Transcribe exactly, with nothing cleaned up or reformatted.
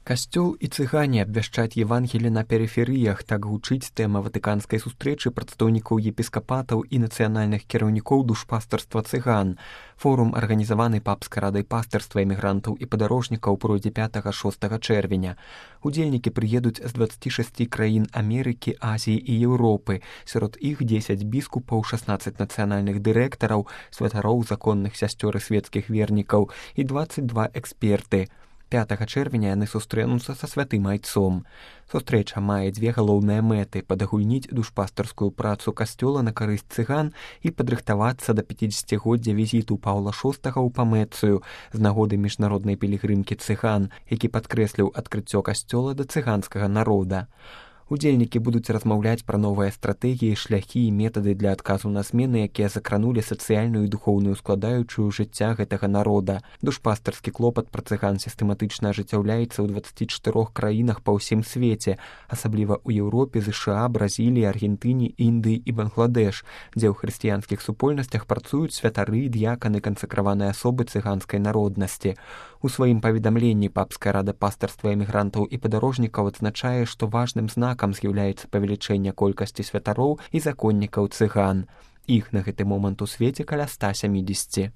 Касцёл і цыгане абвяшчаць Евангелі на перыферыях, так гучыць тэма ватыканскай сустрэчы прадстаўнікоў епіскапатаў і нацыянальных кіраўнікоў душпастарства цыган. Форум, арганізаваны папскай радай пастырства эмігрантаў і падарожнікаў, пройдзе пятага-шостага чэрвеня. Удзельнікі прыедуць з дваццаці шасці краін Амерыкі, Азіі і Еўропы. Сярод іх дзесяць біскупаў, шаснаццаць нацыянальных дырэктараў, святароў, законных сясцёр і свецкіх вернікаў і дваццаць два эксперты. пятага чэрвеня яны сустрэнуцца са святым айцом. Сустрэча мае дзве галоўныя мэты: падагульніць душпастарскую працу касцёла на карысць цыган і падрыхтавацца да пяцідзесяцігоддзя візіту Паўла шостага ў Памэцыю з нагоды міжнароднай пілігрымкі цыган, які падкрэсліў адкрыццё касцёла да цыганскага народа. Удзельнікі будуць размаўляць пра новыя стратэгіі, шляхі і метады для адказу на змены, якія закранулі сацыяльную і духоўную складаючую жыцця гэтага народа. Душпастарскі клопат пра цыган сістэматычна ажыццяўляецца ў дваццаці чатырох краінах па ўсім свеце, асабліва ў Еўропе, ЗША, Бразіліі, Аргентыне, Індыі і Бангладэш, дзе ў хрысціянскіх супольнасцях працуюць святары, д'яканы, кансакраваныя асобы цыганскай народнасці. У сваім паведамленні папская рада пастырства эмігрантаў і падарожнікаў адзначае, што важным знакам з'яўляецца павелічэнне колькасці святароў і законнікаў цыган. Іх на гэты момант у свеце каля ста сямідзесяці.